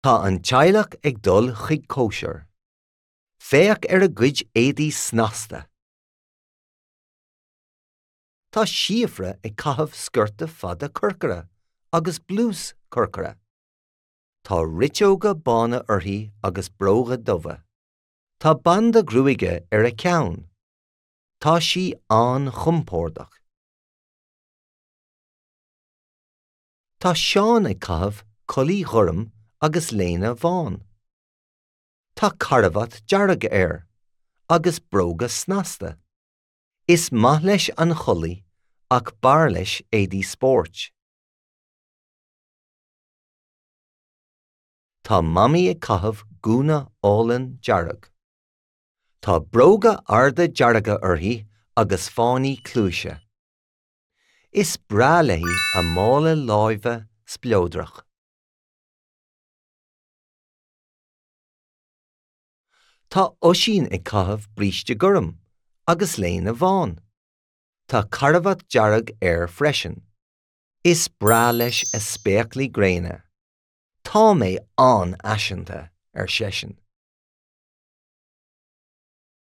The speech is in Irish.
Tá an teaghlach ag dul chuig cóisir. Féach ar a gcuid éadaí snasta! Tá Síofra ag caitheamh sciorta fada corcra agus blús corcra. Tá riteoga bána uirthi agus bróga dubha. Tá banda gruaige ar a ceann. Tá sí an-chompordach. Tá Seán ag caitheamh culaith ghorm agus léine bhán. Tá carbhat dearg air agus bróga snasta. Is maith leis an chulaith ach b'fhearr leis éadaí spóirt. Tá Mamaí ag caitheamh gúna álainn dearg. Tá bróga arda dearga uirthi agus fáinní cluaise. Is breá léi a mála láimhe spleodrach. Tá Oisín ag caitheamh bríste gorm agus léine bhán. Tá carbhat dearg air freisin. Is breá leis a spéaclaí gréine. Tá mé an-fhaiseanta, ar seisean.